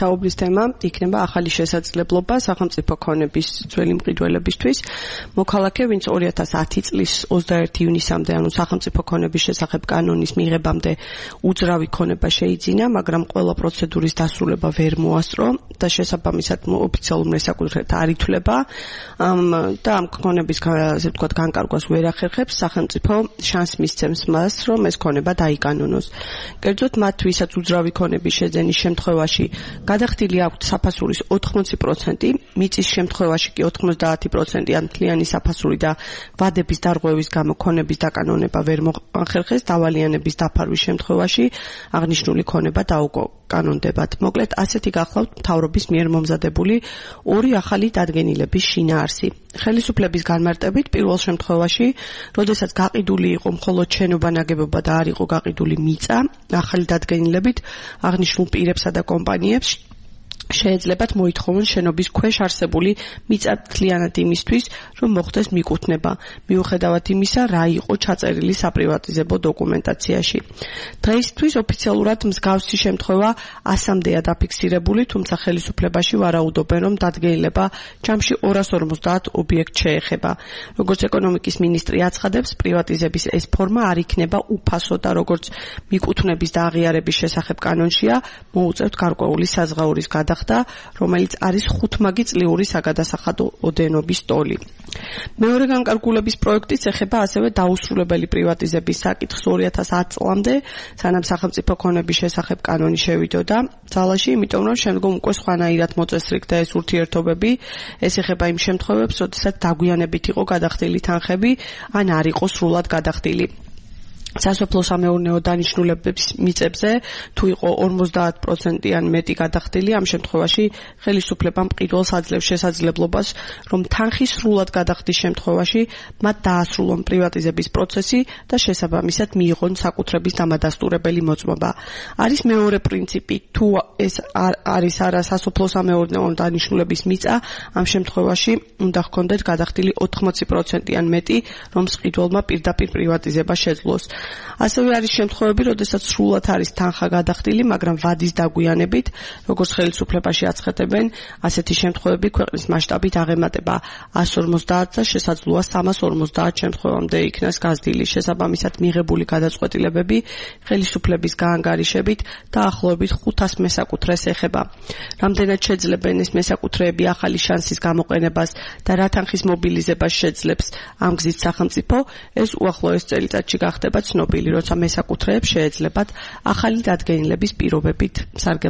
საუბრის თემა იქნება ახალი შესაძლებლობა სახელმწიფო ქონების ძველი მყიდველებისთვის. მოქალაქე, ვინც 2010 წლის 21 ივნისამდე, ანუ სახელმწიფო ქონების შესახებ კანონის მიღებამდე უძრავი ქონება შეიძინა, მაგრამ ყველა პროცედურის დასრულება ვერ მოასწრო და შესაბამისად ოფიციალურ მესაკუთრეთა არ ითვლება და ამ ქონების ასე ვთქვათ განკარგვას ვერ ახერხებს, სახელმწიფო შანსს მისცემს მას, რომ ეს ქონება დაიკანონოს. კერძოდ მათ, ვისაც უძრავი ქონების შეძენის შემთხვევაში გადახდილი აქვთ საფასურის 80%, მიწის შემთხვევაში კი 90% ან მთლიანი საფასური და ვადების დარღვევის გამო ქონების დაკანონება ვერ მოახერხეს, დავალიანების დაფარვის შემთხვევაში აღნიშნული ქონება დაუკანონდებათ. მოკლედ, ასეთი გახლავთ მთავრობის მიერ მომზადებული ორი ახალი დადგენილების შინაარსი. ხელისუფლების განმარტებით, პირველ შემთხვევაში, როდესაც გაყიდული იყო მხოლოდ შენობა ნაგებობა და არ იყო გაყიდული მიწა, ახალი დადგენილებით აღნიშნულ პირებსა და კომპანიებს შეეძლებათ მოითხოვონ შენობის ქვეშ არსებული მიწა მთლიანად იმისთვის, რომ მოხდეს მიკუთვნება, მიუხედავად იმისა, რა იყო ჩაწერილი საპრივატიზებო დოკუმენტაციაში. დღეისთვის ოფიციალურად მსგავსი შემთხვევა 100-მდეა დაფიქსირებული, თუმცა ხელისუფლებაში ვარაუდობენ, რომ დადგენილება ჯამში 250 ობიექტს შეეხება. როგორც ეკონომიკის მინისტრი აცხადებს, პრივატიზების ეს ფორმა არ იქნება უფასო და როგორც მიკუთვნების და აღიარების შესახებ კანონშია, მოუწევთ გარკვეული საზღაურის გადახდა, რომელიც არის 5 წლიური საგადასახადო ოდენობის ტოლი. მეორე განკარგულების პროექტიც ეხება ასევე დაუსრულებელი პრივატიზების საკითხს 2010 წლამდე, სანამ სახელმწიფო ქონების შესახებ კანონი შევიდოდა ძალაში, იმიტომ რომ შემდგომ უკვე სხვანაირად მოწესრიგდა ეს ურთიერთობები. ეს ეხება იმ შემთხვევებს, როდესაც დაგვიანებით იყო გადახდილი თანხები, ან არ იყო სრულად გადახდილი. სასოფლო-სამეურნეო დანიშნულების მიწებზე თუ იყო 50% ან მეტი გადახდილი, ამ შემთხვევაში ხელისუფლებამ მყიდველს აძლევს შესაძლებლობას, რომ თანხის სრულად გადახდის შემთხვევაში მათ დაასრულონ პრივატიზების პროცესი და შესაბამისად მიიღონ საკუთრების დამადასტურებელი მოწმობა. არის მეორე პრინციპი, თუ ეს არის არა სასოფლო-სამეურნეო დანიშნულების მიწა, ამ შემთხვევაში უნდა ჰქონდეთ გადახდილი 80% ან მეტი, რომ მყიდველმა პირდაპირ პრივატიზება შეძლოს. ასევე არის შემთხვევები, როდესაც სრულად არის თანხა გადახდილი, მაგრამ ვადის დაგვიანებით, როგორც ხელისუფლებაში აცხადებენ, ასეთი შემთხვევები ქვეყნის მასშტაბით აღემატება 150 და შესაძლოა 350 შემთხვევამდე იქნას გაზრდილი. შესაბამისად მიღებული გადაწყვეტილებები ხელისუფლების გაანგარიშებით დაახლოებით 500 მესაკუთრეს ეხება. რამდენად შეძლებენ ეს მესაკუთრეები ახალი შანსის გამოყენებას და რა თანხის მობილიზებას შეძლებს ამ გზით სახელმწიფო, ეს უახლოეს წელიწადში გახდება ცნობილი, როცა მესაკუთრეებს შეეძლებათ ახალი დადგენილების პირობებით სარგებლობა.